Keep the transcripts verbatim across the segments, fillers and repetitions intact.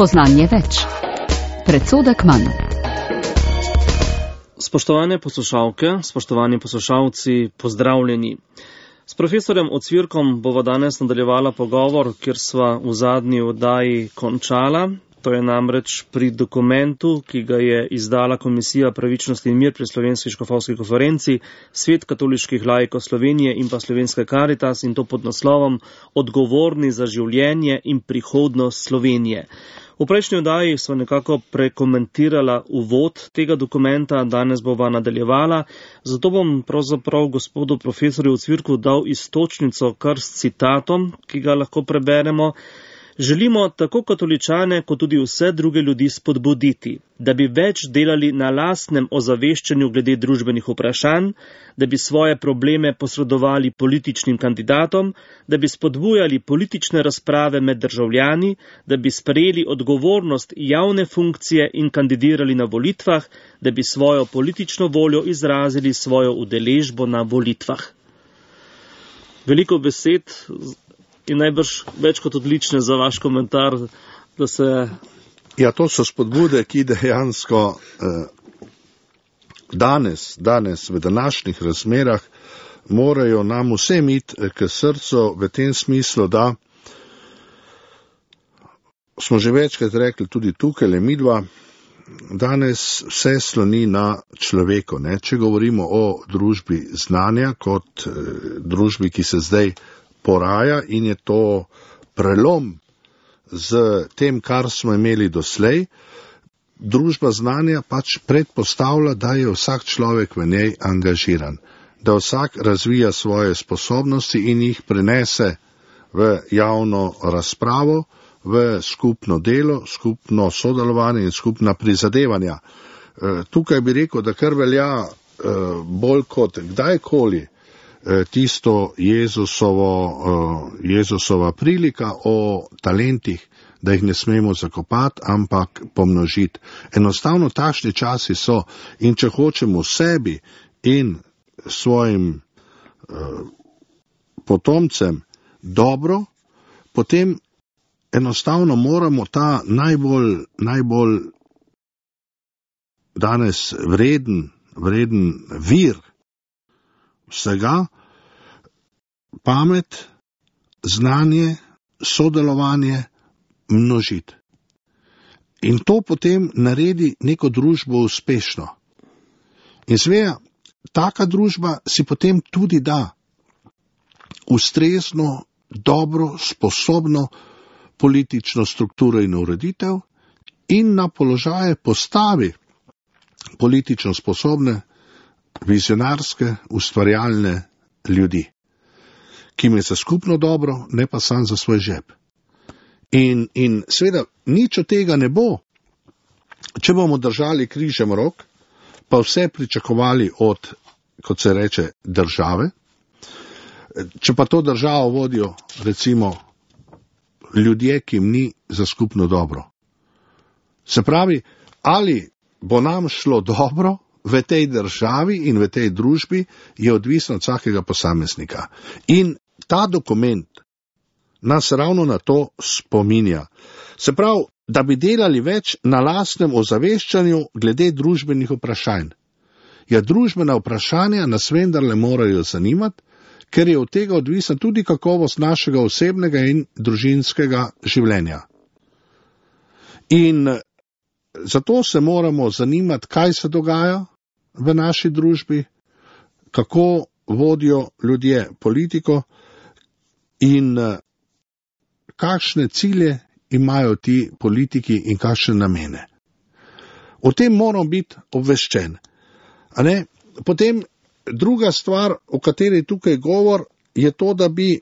Spoznanje več. Predsodek manj. Spoštovane poslušalke, spoštovani poslušalci, pozdravljeni. S profesorjem Ocvirkom bova danes nadaljevala pogovor, kjer sva v zadnji oddaji končala. To je namreč pri dokumentu, ki ga je izdala Komisija pravičnosti in mir pri Slovenski škofovski konferenci, Svet katoliških laikov Slovenije in pa Slovenska Karitas, in to pod naslovom Odgovorni za življenje in prihodnost Slovenije. V prejšnji oddaji sva nekako prekomentirala uvod tega dokumenta, danes bova nadaljevala, zato bom pravzaprav gospodu profesorju Ocvirku dal iztočnico kar s citatom, ki ga lahko preberemo. Želimo tako katoličane, kot tudi vse druge ljudi spodbuditi, da bi več delali na lastnem ozaveščanju glede družbenih vprašanj, da bi svoje probleme posredovali političnim kandidatom, da bi spodbujali politične razprave med državljani, da bi sprejeli odgovornost javne funkcije in kandidirali na volitvah, da bi svojo politično voljo izrazili svojo udeležbo na volitvah. Veliko besed in najbrž več kot odlične za vaš komentar, da se... Ja, to so spodbude, ki dejansko eh, danes, danes v današnjih razmerah morajo nam vsem iti k srcu v tem smislu, da smo že večkrat rekli tudi tukaj, le midva, danes vse sloni na človeku. Ne? Če govorimo o družbi znanja kot eh, družbi, ki se zdaj poraja in je to prelom z tem, kar smo imeli doslej, družba znanja pač predpostavlja, da je vsak človek v njej angažiran, da vsak razvija svoje sposobnosti in jih prenese v javno razpravo, v skupno delo, skupno sodelovanje in skupna prizadevanja. Tukaj bi rekel, da kar velja bolj kot kdajkoli tisto Jezusovo, Jezusova prilika o talentih, da jih ne smemo zakopati, ampak pomnožiti. Enostavno takšni časi so in če hočemo sebi in svojim uh, potomcem dobro, potem enostavno moramo ta najbolj, najbolj danes vreden, vreden vir vsega, pamet, znanje, sodelovanje množiti. In to potem naredi neko družbo uspešno. In seveda, taka družba si potem tudi da ustrezno, dobro, sposobno politično strukturo in ureditev in na položaje postavi politično sposobne, vizionarske, ustvarjalne ljudi, ki jim je za skupno dobro, ne pa sam za svoj žep. In, in seveda, nič od tega ne bo, če bomo držali križem rok, pa vse pričakovali od, kot se reče, države, če pa to državo vodijo, recimo, ljudje, ki jim ni za skupno dobro. Se pravi, ali bo nam šlo dobro v tej državi in v tej družbi, je odvisno od vsakega posameznika. In ta dokument nas ravno na to spominja. Se pravi, da bi delali več na lastnem ozaveščanju glede družbenih vprašanj. Ja, družbena vprašanja nas vendarle morajo zanimati, ker je od tega odvisna tudi kakovost našega osebnega in družinskega življenja. In zato se moramo zanimati, kaj se dogaja v naši družbi, kako vodijo ljudje politiko in kakšne cilje imajo ti politiki in kakšne namene. O tem moram biti obveščen. A ne? Potem druga stvar, o kateri tukaj govor, je to, da bi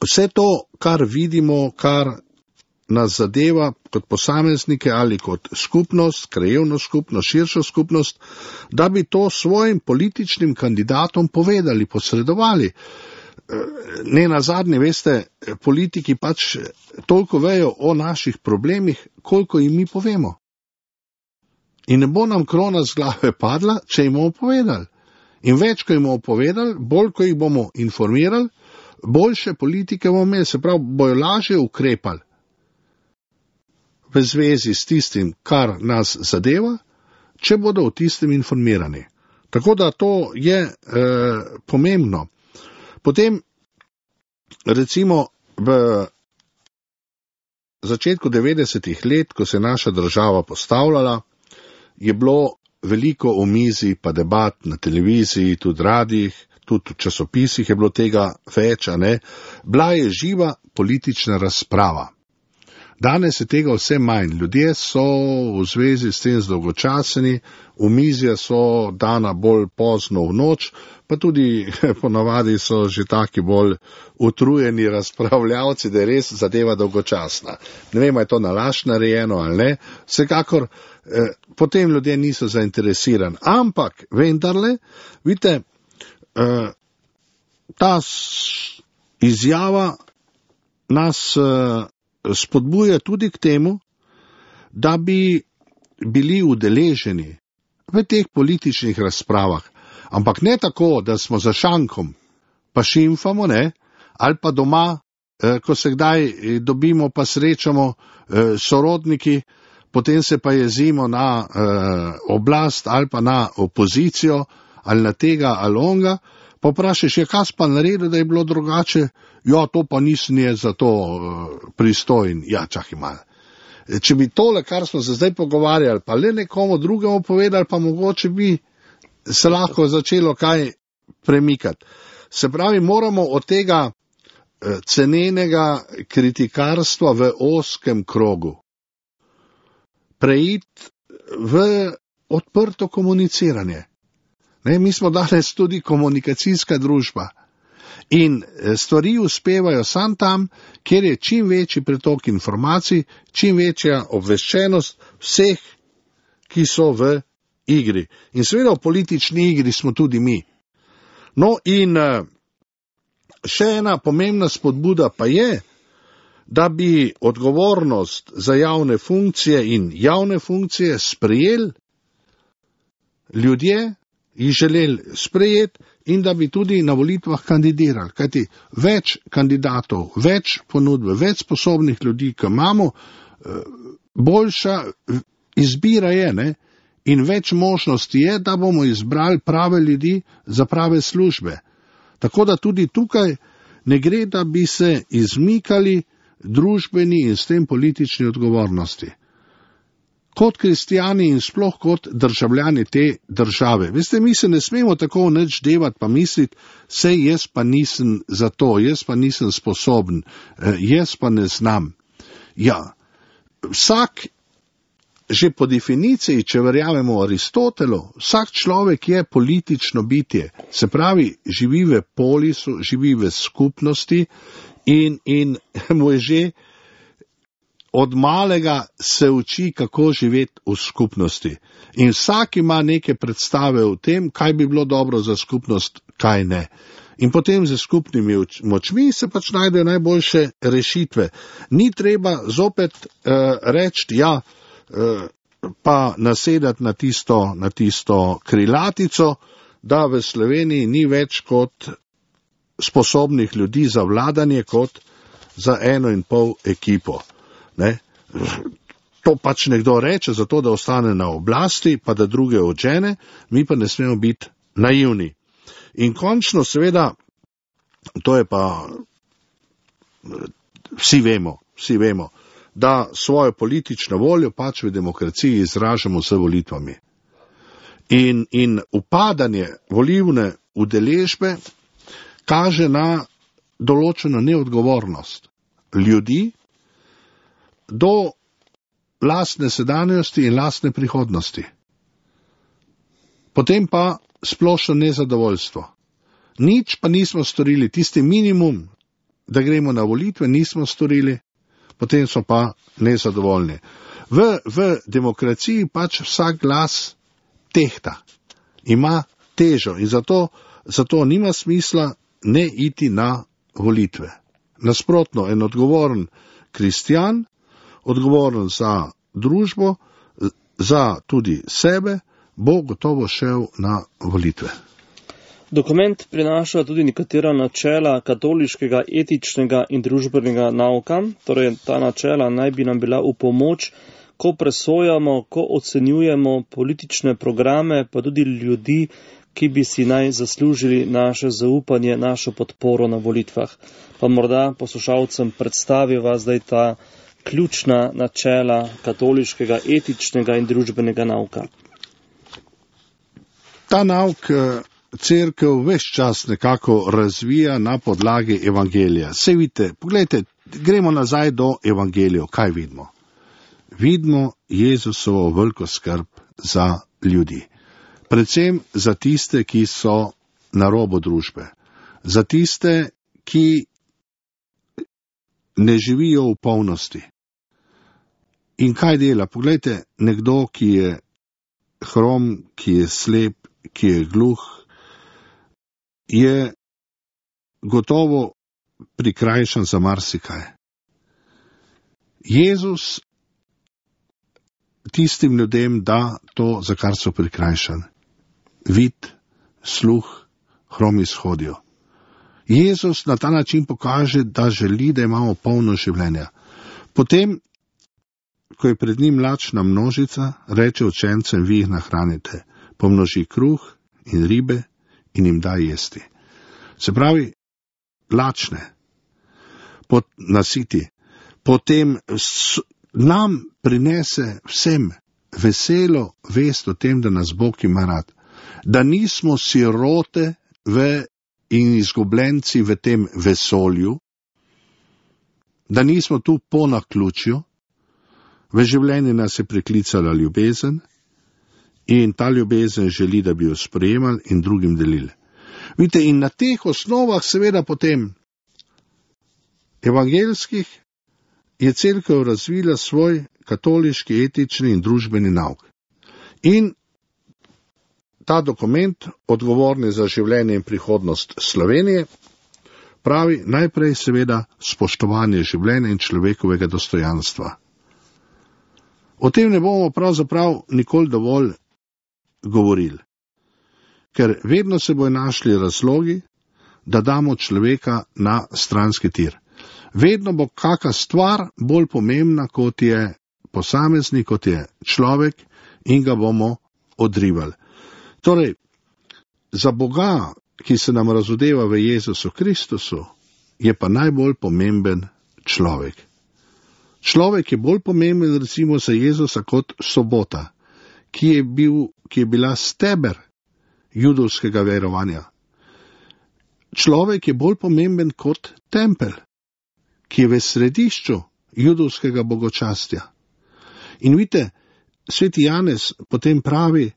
vse to, kar vidimo, kar nas zadeva kot posameznike ali kot skupnost, krajevno skupnost, širšo skupnost, da bi to svojim političnim kandidatom povedali, posredovali. Ne nazadnje, veste, politiki pač toliko vejo o naših problemih, koliko jim mi povemo. In ne bo nam krona z glave padla, če jim bomo povedali. In več, ko jim bomo povedali, bolj, ko jih bomo informirali, boljše politike bomo imeli, se pravi, bojo lažje ukrepali. v zvezi s tistim, kar nas zadeva, če bodo o tistem informirani. Tako da to je e, pomembno. Potem, recimo, v začetku devetdesetih let, ko se je naša država postavljala, je bilo veliko omizij pa debat na televiziji, tudi radijih, tudi v časopisih je bilo tega več, a ne. Bila je živa politična razprava. Danes je tega vse manj. Ljudje so v zvezi s tem zdolgočaseni, omizja so dana bolj pozno v noč, pa tudi ponavadi so že taki bolj utrujeni razpravljavci, da je res zadeva dolgočasna. Ne vem, je to nalašč narejeno ali ne, vsekakor eh, potem ljudje niso zainteresirani. Ampak, vendarle, vidite, eh, ta izjava nas eh, spodbuja tudi k temu, da bi bili udeleženi v teh političnih razpravah. Ampak ne tako, da smo za šankom, pa šimfamo, ne, ali pa doma, eh, ko se kdaj dobimo, pa srečamo eh, sorodniki, potem se pa jezimo na eh, oblast ali pa na opozicijo, ali na tega ali onga, pa vprašaš, je kaj pa naredil, da je bilo drugače, ja, to pa nisem je za to eh, pristojen, ja, čakaj malo. Če bi tole, kar smo se zdaj pogovarjali, pa le nekomu drugemu povedali, pa mogoče bi se lahko začelo kaj premikati. Se pravi, moramo od tega cenenega kritikarstva v oskem krogu preiti v odprto komuniciranje. Ne, mi smo danes tudi komunikacijska družba in stvari uspevajo sam tam, kjer je čim večji pretok informacij, čim večja obveščenost vseh, ki so v igri. In seveda v politični igri smo tudi mi. No in še ena pomembna spodbuda pa je, da bi odgovornost za javne funkcije in javne funkcije sprejeli ljudje, jih želeli sprejeti in da bi tudi na volitvah kandidirali. Kajti več kandidatov, več ponudbe, več sposobnih ljudi, ki imamo, boljša izbira je, ne? In več možnosti je, da bomo izbrali prave ljudi za prave službe. Tako da tudi tukaj ne gre, da bi se izmikali družbeni in s tem politični odgovornosti. Kot kristijani in sploh kot državljani te države. Veste, mi se ne smemo tako nič devati pa misliti, sej jaz pa nisem za to, jaz pa nisem sposoben, jaz pa ne znam. Ja, vsak že po definiciji, če verjamemo Aristotelu, vsak človek je politično bitje, se pravi, živi v polisu, živi v skupnosti in, in mu je že od malega se uči, kako živeti v skupnosti. In vsak ima neke predstave o tem, kaj bi bilo dobro za skupnost, kaj ne. In potem z skupnimi močmi se pač najdejo najboljše rešitve. Ni treba zopet uh, reči, ja, pa nasedati na tisto, na tisto krilatico, da v Sloveniji ni več kot sposobnih ljudi za vladanje kot za eno in pol ekipo. Ne? To pač nekdo reče, zato da ostane na oblasti, pa da druge odžene, mi pa ne smemo biti naivni. In končno seveda, to je pa, vsi vemo, vsi vemo, da svojo politično voljo pač v demokraciji izražamo z volitvami. In, in upadanje volivne udeležbe kaže na določeno neodgovornost ljudi do lastne sedanjosti in lastne prihodnosti. Potem pa splošno nezadovoljstvo. Nič pa nismo storili, tisti minimum, da gremo na volitve, nismo storili, potem so pa nezadovoljni. V, v demokraciji pač vsak glas tehta, ima težo in zato, zato nima smisla ne iti na volitve. Nasprotno, en odgovoren kristjan, odgovoren za družbo, za tudi sebe, bo gotovo šel na volitve. Dokument prinaša tudi nekatera načela katoliškega etičnega in družbenega nauka, torej ta načela naj bi nam bila v pomoč, ko presojamo, ko ocenjujemo politične programe, pa tudi ljudi, ki bi si naj zaslužili naše zaupanje, našo podporo na volitvah. Pa morda poslušalcem predstaviva zdaj ta ključna načela katoliškega etičnega in družbenega nauka. Ta nauk Cerkev ves čas nekako razvija na podlagi evangelija. Sej vidite, pogledajte, gremo nazaj do evangelijev. Kaj vidimo? Vidimo Jezusovo veliko skrb za ljudi. Predvsem za tiste, ki so na robu družbe. Za tiste, ki ne živijo v polnosti. In kaj dela? Poglejte, nekdo, ki je hrom, ki je slep, ki je gluh, je gotovo prikrajšan za marsikaj. Jezus tistim ljudem da to, za kar so prikrajšani. Vid, sluh, hromi shodijo. Jezus na ta način pokaže, da želi, da imamo polno življenja. Potem, ko je pred njim lačna množica, reče učencem, vi jih nahranite, pomnoži kruh in ribe in jim da jesti. Se pravi, lačne, pot, nasiti. Potem s, nam prinese vsem veselo vest o tem, da nas Bog ima rad. Da nismo sirote v, in izgubljenci v tem vesolju, da nismo tu po naključju, v življenju nas je priklicala ljubezen in ta ljubezen želi, da bi jo sprejemali in drugim delili. Vidite, in na teh osnovah seveda potem evangelskih je Cerkev razvila svoj katoliški, etični in družbeni nauk. In ta dokument, odgovorni za življenje in prihodnost Slovenije, pravi najprej seveda spoštovanje življenja in človekovega dostojanstva. O tem ne bomo pravzaprav nikoli dovolj govorili, ker vedno se bojo našli razlogi, da damo človeka na stranski tir. Vedno bo kaka stvar bolj pomembna, kot je posameznik, kot je človek, in ga bomo odrivali. Torej, za Boga, ki se nam razodeva v Jezusu Kristusu, je pa najbolj pomemben človek. Človek je bolj pomemben recimo za Jezusa kot sobota, ki je, bil, ki je bila steber judovskega verovanja. Človek je bolj pomemben kot tempelj, ki je v središču judovskega bogočastja. In vidite, sveti Janez potem pravi,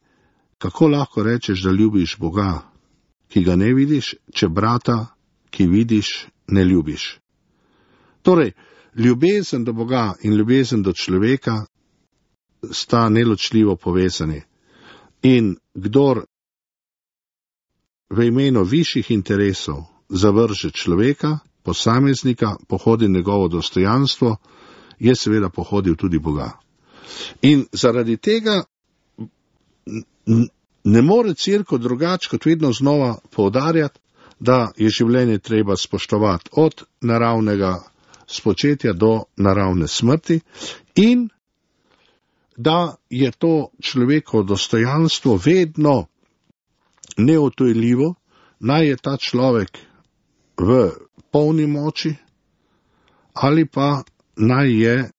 kako lahko rečeš, da ljubiš Boga, ki ga ne vidiš, če brata, ki vidiš, ne ljubiš. Torej, ljubezen do Boga in ljubezen do človeka sta neločljivo povezani. In kdor v imenu višjih interesov zavrže človeka, posameznika, pohodi njegovo dostojanstvo, je seveda pohodil tudi Boga. In zaradi tega ne more Cerkev drugače kot vedno znova poudarjati, da je življenje treba spoštovati od naravnega spočetja do naravne smrti in da je to človekovo dostojanstvo vedno neodtujljivo, naj je ta človek v polni moči ali pa naj je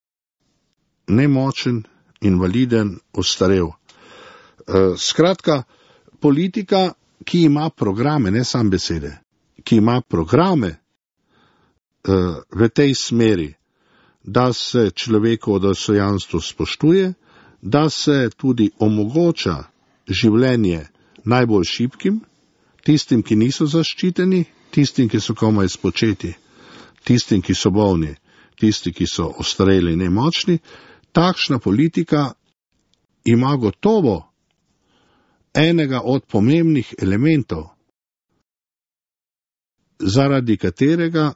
nemočen, invaliden, ostarel. Skratka, politika, ki ima programe, ne sam besede, ki ima programe v tej smeri, da se človekovo dostojanstvo spoštuje, da se tudi omogoča življenje najbolj šibkim, tistim, ki niso zaščiteni, tistim, ki so komaj spočeti, tistim, ki so bolni, tisti, ki so ostareli, nemočni. Takšna politika ima gotovo enega od pomembnih elementov, zaradi katerega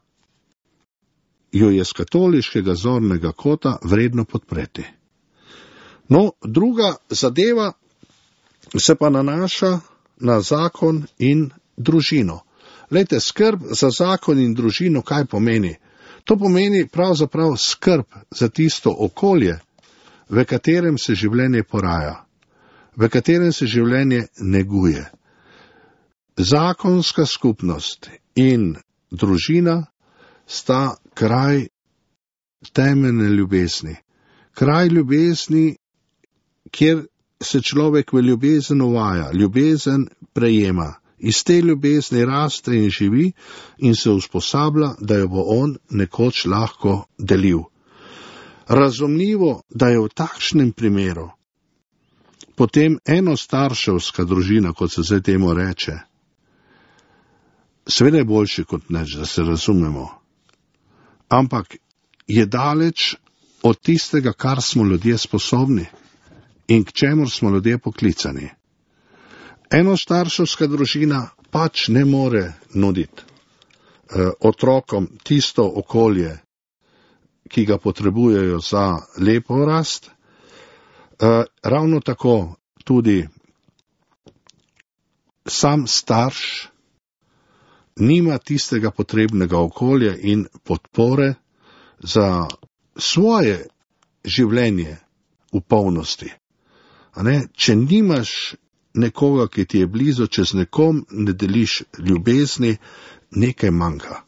jo je z katoliškega zornega kota vredno podpreti. No, druga zadeva se pa nanaša na zakon in družino. Lejte, skrb za zakon in družino, kaj pomeni? To pomeni pravzaprav skrb za tisto okolje, v katerem se življenje poraja, v katerem se življenje neguje. Zakonska skupnost in družina sta kraj temeljne ljubezni. Kraj ljubezni, kjer se človek v ljubezen uvaja, ljubezen prejema. Iz te ljubezni raste in živi in se usposablja, da jo bo on nekoč lahko delil. Razumljivo, da je v takšnem primeru potem enostarševska družina, kot se zdaj temu reče, seveda je boljši kot nič, da se razumemo, ampak je daleč od tistega, kar smo ljudje sposobni in k čemur smo ljudje poklicani. Enostarševska družina pač ne more nuditi eh, otrokom tisto okolje, ki ga potrebujejo za lepo rast. Eh, ravno tako tudi sam starš nima tistega potrebnega okolja in podpore za svoje življenje v polnosti. A ne? Če nimaš nekoga, ki ti je blizu, če z nekom ne deliš ljubezni, nekaj manjka.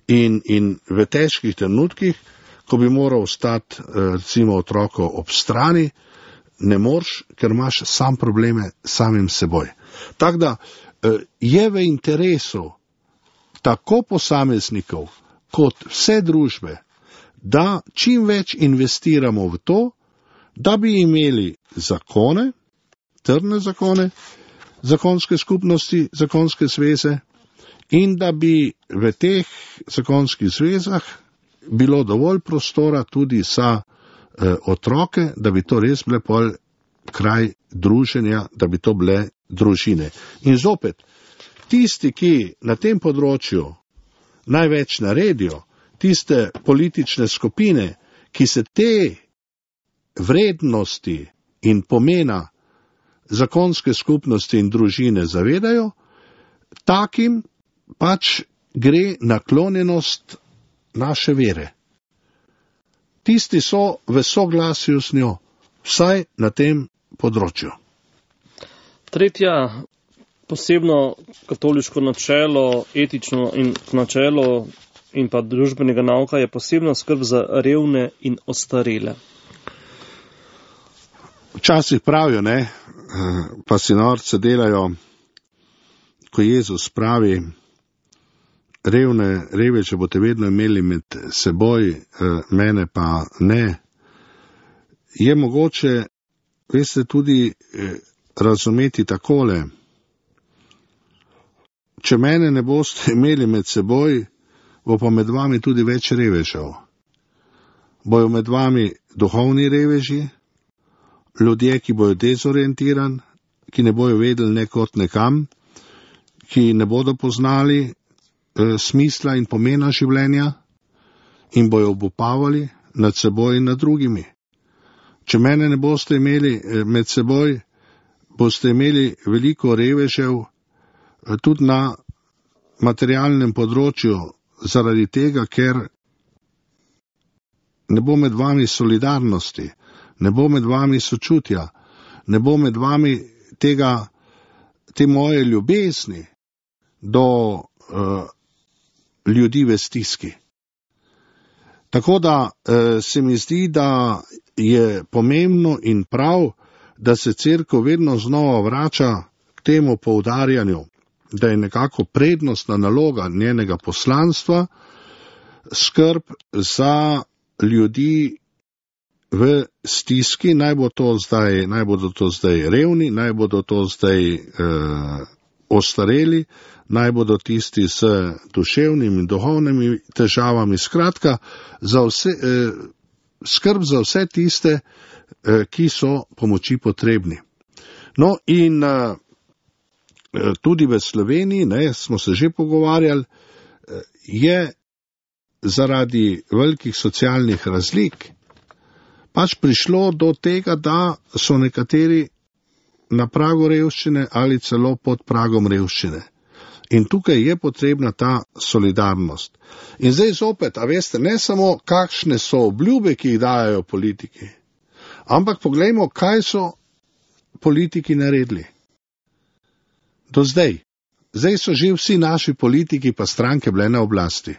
In, in v težkih trenutkih, ko bi moral ostati recimo otroko ob strani, ne moreš, ker imaš sam probleme samim seboj. Tako da je v interesu tako posameznikov kot vse družbe, da čim več investiramo v to, da bi imeli zakone, trdne zakone, zakonske skupnosti, zakonske zveze in da bi v teh zakonskih zvezah bilo dovolj prostora tudi za eh, otroke, da bi to res bile pol kraj druženja, da bi to bile družine. In zopet, tisti, ki na tem področju največ naredijo, tiste politične skupine, ki se te vrednosti in pomena zakonske skupnosti in družine zavedajo, takim pač gre naklonjenost naše vere. Tisti so v soglasju s njo, vsaj na tem področju. Tretja posebno katoliško načelo, etično in načelo in pa družbenega nauka je posebna skrb za revne in ostarele. Včasih pravijo, ne, pa si norce delajo, ko Jezus pravi, revne, reveče boste vedno imeli med seboj, mene pa ne. Je mogoče, veste, tudi razumeti takole, če mene ne boste imeli med seboj, bo pa med vami tudi več revežev. Bojo med vami duhovni reveži, ljudje, ki bojo dezorientirani, ki ne bojo vedeli nekot nekam, ki ne bodo poznali e, smisla in pomena življenja in bojo obupavali nad seboj in nad drugimi. Če mene ne boste imeli e, med seboj, boste imeli veliko revežev e, tudi na materialnem področju, zaradi tega, ker ne bo med vami solidarnosti, ne bo med vami sočutja, ne bo med vami tega, te moje ljubezni do uh, ljudi v stiski. Tako da uh, se mi zdi, da je pomembno in prav, da se cerkev vedno znova vrača k temu poudarjanju, da je nekako prednostna naloga njenega poslanstva skrb za ljudi v stiski, naj bo to zdaj, naj bodo to zdaj revni, naj bodo to zdaj eh, ostareli, naj bodo tisti s duševnimi in duhovnimi težavami, skratka, za vse, eh, skrb za vse tiste, eh, ki so pomoči potrebni. No in eh, tudi v Sloveniji, ne, smo se že pogovarjali, je zaradi velikih socialnih razlik pač prišlo do tega, da so nekateri na pragu revščine ali celo pod pragom revščine. In tukaj je potrebna ta solidarnost. In zdaj zopet, a veste, ne samo kakšne so obljube, ki jih dajo politiki, ampak poglejmo, kaj so politiki naredili. Do zdaj. Zdaj so že vsi naši politiki pa stranke bile na oblasti.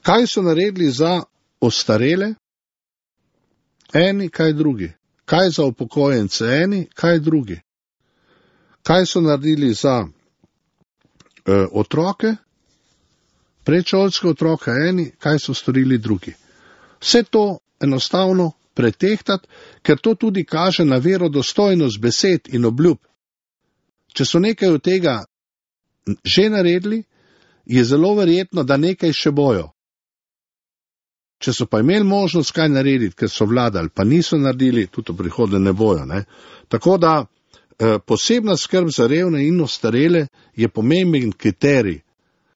Kaj so naredili za ostarele? Eni, kaj drugi. Kaj za upokojence? Eni, kaj drugi. Kaj so naredili za eh, otroke? Predšolske otroke eni, kaj so storili drugi. Vse to enostavno pretehtati, ker to tudi kaže na verodostojnost besed in obljub. Če so nekaj od tega že naredili, je zelo verjetno, da nekaj še bojo. Če so pa imeli možnost kaj narediti, ker so vladali, pa niso naredili, tudi v prihodnje ne bojo. Ne? Tako da eh, posebna skrb za revne in ostarele je pomemben kriterij,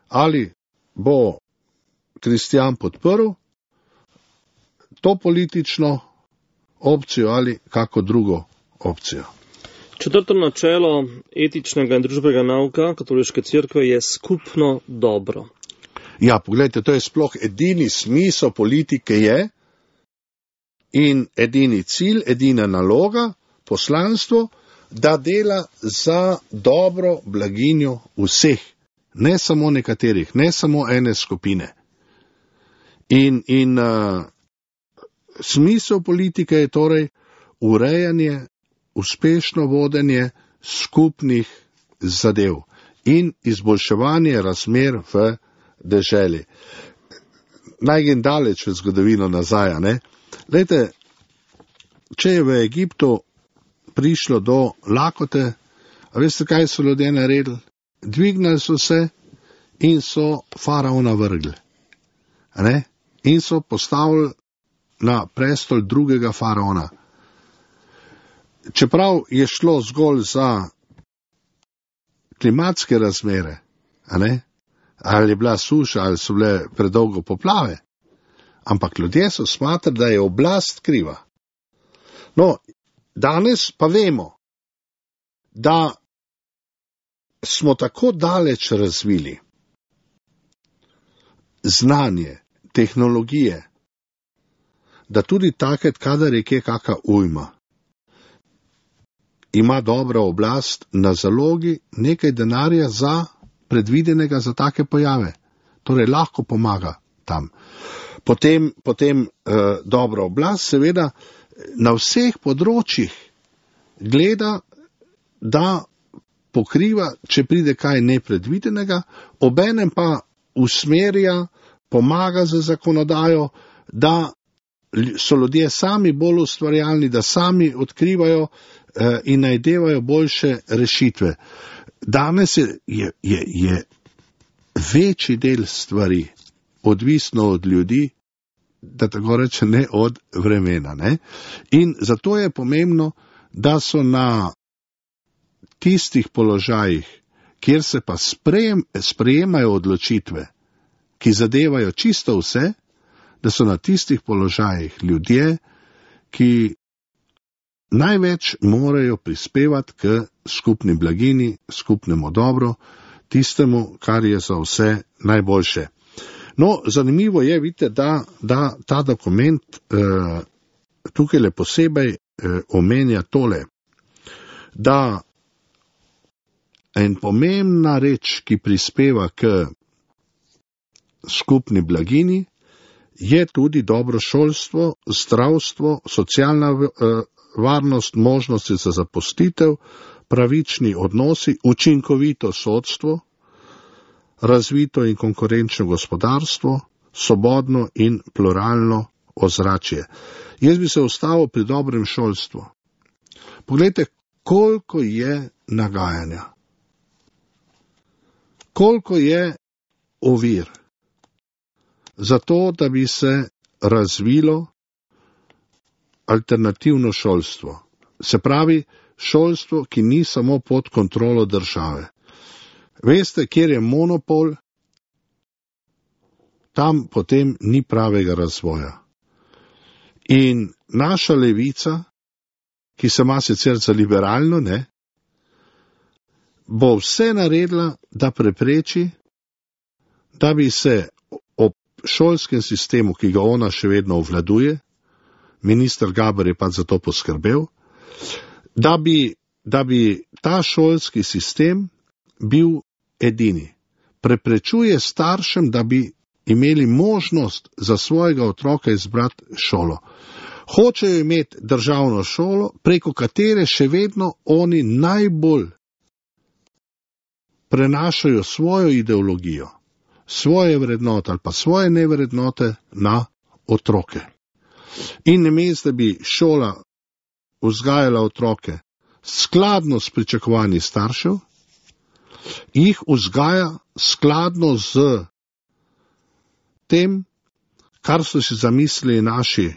ali bo Kristjan podprl to politično opcijo ali kako drugo opcijo. Četrto načelo etičnega in družbenega nauka katoliške cerkve je skupno dobro. Ja, pogledajte, to je sploh edini smisel politike je in edini cilj, edina naloga, poslanstvo, da dela za dobro blaginjo vseh, ne samo nekaterih, ne samo ene skupine. In, in uh, smisel politike je torej urejanje, uspešno vodenje skupnih zadev in izboljševanje razmer v deželi. Naj grem daleč v zgodovino nazaj, ne? Glejte, če je v Egiptu prišlo do lakote, a veste, kaj so ljudje naredili? Dvignili so se in so faraona vrgli. Ne? In so postavili na prestol drugega faraona. Čeprav je šlo zgolj za klimatske razmere, a ne? Ali je bila suša, ali so bile predolgo poplave, ampak ljudje so smatrali, da je oblast kriva. No, danes pa vemo, da smo tako daleč razvili znanje, tehnologije, da tudi takrat, kadar je kje kaka ujma, ima dobra oblast na zalogi nekaj denarja za predvidenega za take pojave. Torej lahko pomaga tam. Potem, potem eh, dobra oblast seveda na vseh področjih gleda, da pokriva, če pride kaj nepredvidenega, obenem pa usmerja, pomaga za zakonodajo, da so ljudje sami bolj ustvarjalni, da sami odkrivajo eh, in najdevajo boljše rešitve. Danes je, je, je, je večji del stvari odvisno od ljudi, da tako reče, ne od vremena. Ne? In zato je pomembno, da so na tistih položajih, kjer se pa sprejem, sprejemajo odločitve, ki zadevajo čisto vse, da so na tistih položajih ljudje, ki največ morajo prispevati k skupni blagini, skupnemu dobro, tistemu, kar je za vse najboljše. No, zanimivo je, vidite, da, da ta dokument eh, tukaj le posebej eh, omenja tole, da en pomembna reč, ki prispeva k skupni blagini, je tudi dobro šolstvo, zdravstvo, socialna eh, varnost, možnosti za zaposlitev, pravični odnosi, učinkovito sodstvo, razvito in konkurenčno gospodarstvo, svobodno in pluralno ozračje. Jaz bi se ustavil pri dobrem šolstvu. Poglejte, koliko je nagajanja, koliko je ovir za to, da bi se razvilo alternativno šolstvo. Se pravi, šolstvo, ki ni samo pod kontrolo države. Veste, kjer je monopol, tam potem ni pravega razvoja. In naša levica, ki se ima sicer za liberalno, ne, bo vse naredila, da prepreči, da bi se ob šolskem sistemu, ki ga ona še vedno obvladuje, minister Gaber je pa za to poskrbel, da bi, da bi ta šolski sistem bil edini. Preprečuje staršem, da bi imeli možnost za svojega otroka izbrati šolo. Hočejo imeti državno šolo, preko katere še vedno oni najbolj prenašajo svojo ideologijo, svoje vrednote ali pa svoje nevrednote na otroke. In namesto, da bi šola vzgajala otroke skladno s pričakovanji staršev, jih vzgaja skladno z tem, kar so si zamislili naši,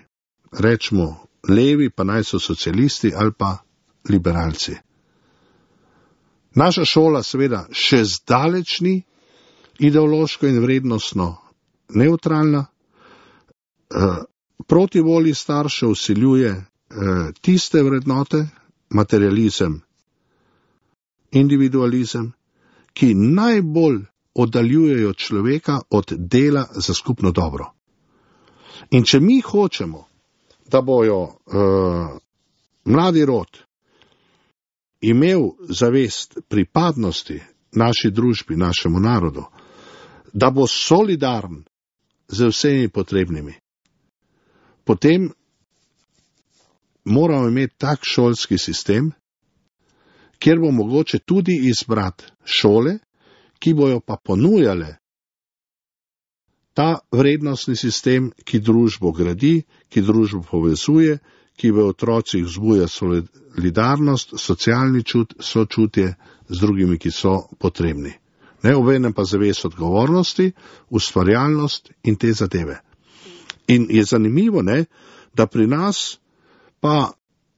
rečemo, levi, pa naj so socialisti ali pa liberalci. Naša šola seveda še zdaleč ni ideološko in vrednostno neutralna, proti volji staršev vsiljuje tiste vrednote, materializem, individualizem, ki najbolj oddaljujejo človeka od dela za skupno dobro. In če mi hočemo, da bojo uh, mladi rod imel zavest pripadnosti naši družbi, našemu narodu, da bo solidaren z vsemi potrebnimi, potem moramo imeti tak šolski sistem, kjer bo mogoče tudi izbrati šole, ki bojo pa ponujale ta vrednostni sistem, ki družbo gradi, ki družbo povezuje, ki v otrocih vzbuja solidarnost, socialni čut, sočutje z drugimi, ki so potrebni. Ne, obenem pa zavest odgovornosti, ustvarjalnost in te zadeve. In je zanimivo, ne, da pri nas pa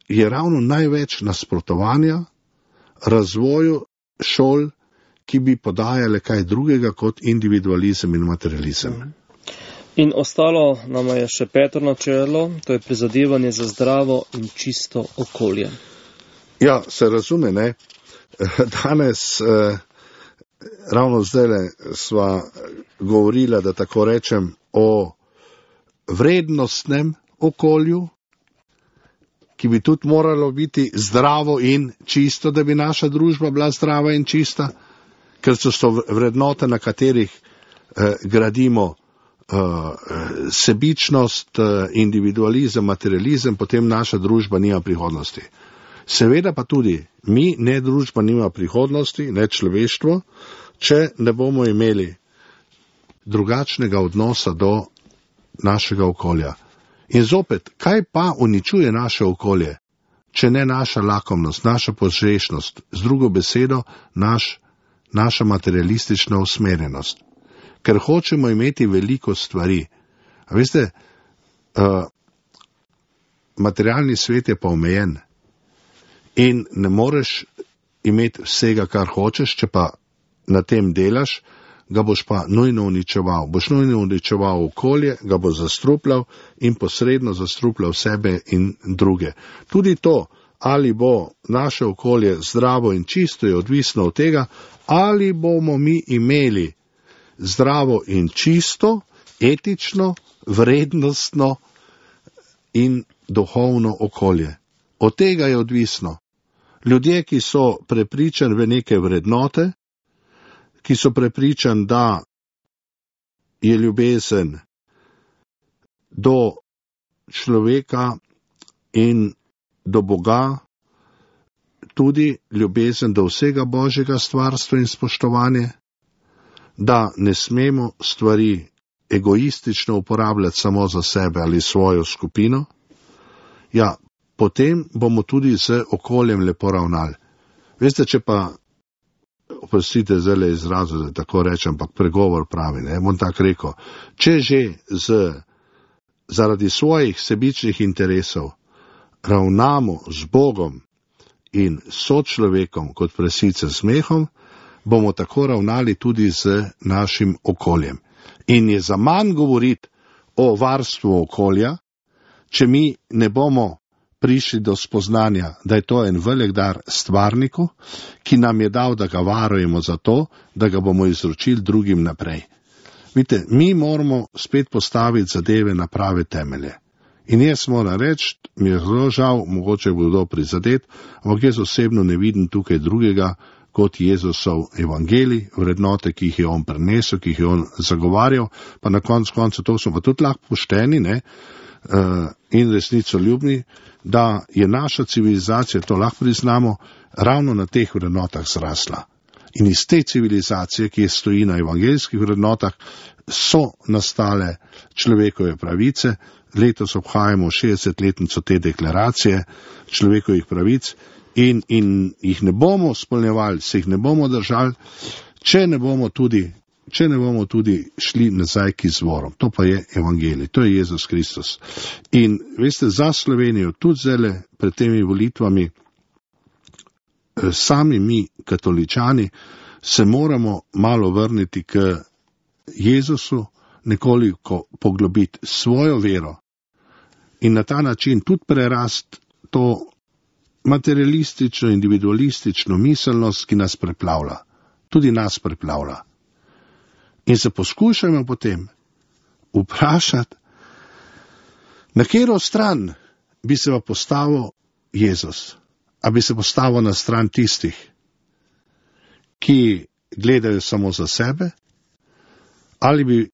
je ravno največ nasprotovanja razvoju šol, ki bi podajale kaj drugega kot individualizem in materializem. In ostalo nam je še peto načelo, to je prizadevanje za zdravo in čisto okolje. Ja, se razume, ne. Danes, eh, ravno zdajle sva govorila, da tako rečem, o vrednostnem okolju, ki bi tudi moralo biti zdravo in čisto, da bi naša družba bila zdrava in čista, ker so to vrednote, na katerih eh, gradimo eh, sebičnost, eh, individualizem, materializem, potem naša družba nima prihodnosti. Seveda pa tudi mi, ne družba, nima prihodnosti, ne človeštvo, če ne bomo imeli drugačnega odnosa do našega okolja. In zopet, kaj pa uničuje naše okolje, če ne naša lakomnost, naša požrešnost, z drugo besedo, naš naša materialistična usmerjenost, ker hočemo imeti veliko stvari. A veste, uh, materialni svet je pa omejen in ne moreš imeti vsega, kar hočeš, če pa na tem delaš, ga boš pa nujno uničeval. Boš nujno uničeval okolje, ga boš zastrupljal in posredno zastrupljal sebe in druge. Tudi to, ali bo naše okolje zdravo in čisto, je odvisno od tega, ali bomo mi imeli zdravo in čisto, etično, vrednostno in duhovno okolje. Od tega je odvisno. Ljudje, ki so prepričani v neke vrednote, ki so prepričani, da je ljubezen do človeka in do Boga, tudi ljubezen do vsega Božjega stvarstva in spoštovanje, da ne smemo stvari egoistično uporabljati samo za sebe ali svojo skupino, ja, potem bomo tudi z okoljem lepo ravnali. Veste, če pa, oprostite zdaj izrazu, da tako rečem, ampak pregovor pravi, ne, bom tako rekel, če že z, zaradi svojih sebičnih interesov ravnamo z Bogom in sočlovekom kot presice z smehom, bomo tako ravnali tudi z našim okoljem. In je zaman govoriti o varstvu okolja, če mi ne bomo prišli do spoznanja, da je to en velik dar stvarniku, ki nam je dal, da ga varujemo za to, da ga bomo izročili drugim naprej. Vidite, mi moramo spet postaviti zadeve na prave temelje. In jaz moram reči, mi je zelo žal, mogoče bo kdo prizadet, ampak jaz osebno ne vidim tukaj drugega kot Jezusov evangelij, vrednote, ki jih je on prenesel, ki jih je on zagovarjal, pa na koncu koncu to smo pa tudi lahko pošteni, ne, uh, in resnicoljubni, da je naša civilizacija, to lahko priznamo, ravno na teh vrednotah zrasla. In iz te civilizacije, ki je stoji na evangeljskih vrednotah, so nastale človekove pravice. Letos obhajamo šestdesetletnico te deklaracije človekovih pravic in, in jih ne bomo spolnjevali, se jih ne bomo držali, če ne bomo tudi, če ne bomo tudi šli nazaj k izvorom. To pa je evangelij, to je Jezus Kristus. In veste, za Slovenijo, tudi zdaj pred temi volitvami, sami mi, katoličani, se moramo malo vrniti k Jezusu, nekoliko poglobiti svojo vero in na ta način tudi prerast to materialistično, individualistično miselnost, ki nas preplavlja. Tudi nas preplavlja. In se poskušajmo potem vprašati, na katero stran bi se pa postavil Jezus. A bi se postavil na stran tistih, ki gledajo samo za sebe, ali bi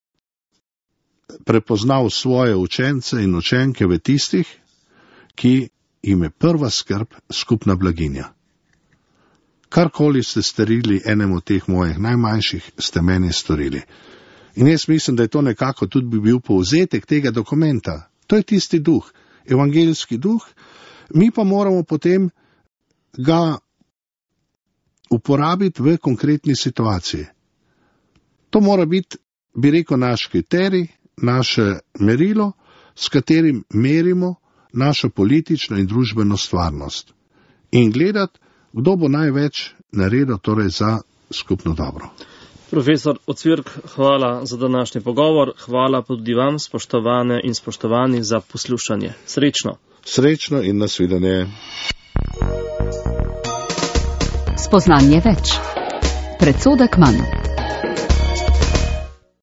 prepoznal svoje učence in učenke v tistih, ki jim je prva skrb skupna blaginja. Karkoli ste storili enemu teh mojih najmanjših, ste meni storili. In jaz mislim, da je to nekako tudi bi bil povzetek tega dokumenta. To je tisti duh, evangeljski duh, mi pa moramo potem ga uporabiti v konkretni situaciji. To mora biti, bi rekel, naš kriterij, naše merilo, s katerim merimo našo politično in družbeno stvarnost. In gledati, kdo bo največ naredil torej za skupno dobro. Profesor Ocvirk, hvala za današnji pogovor, hvala tudi vam, spoštovane in spoštovani, za poslušanje. Srečno. Srečno in nasvidenje. Spoznanje več. Predsodek manj.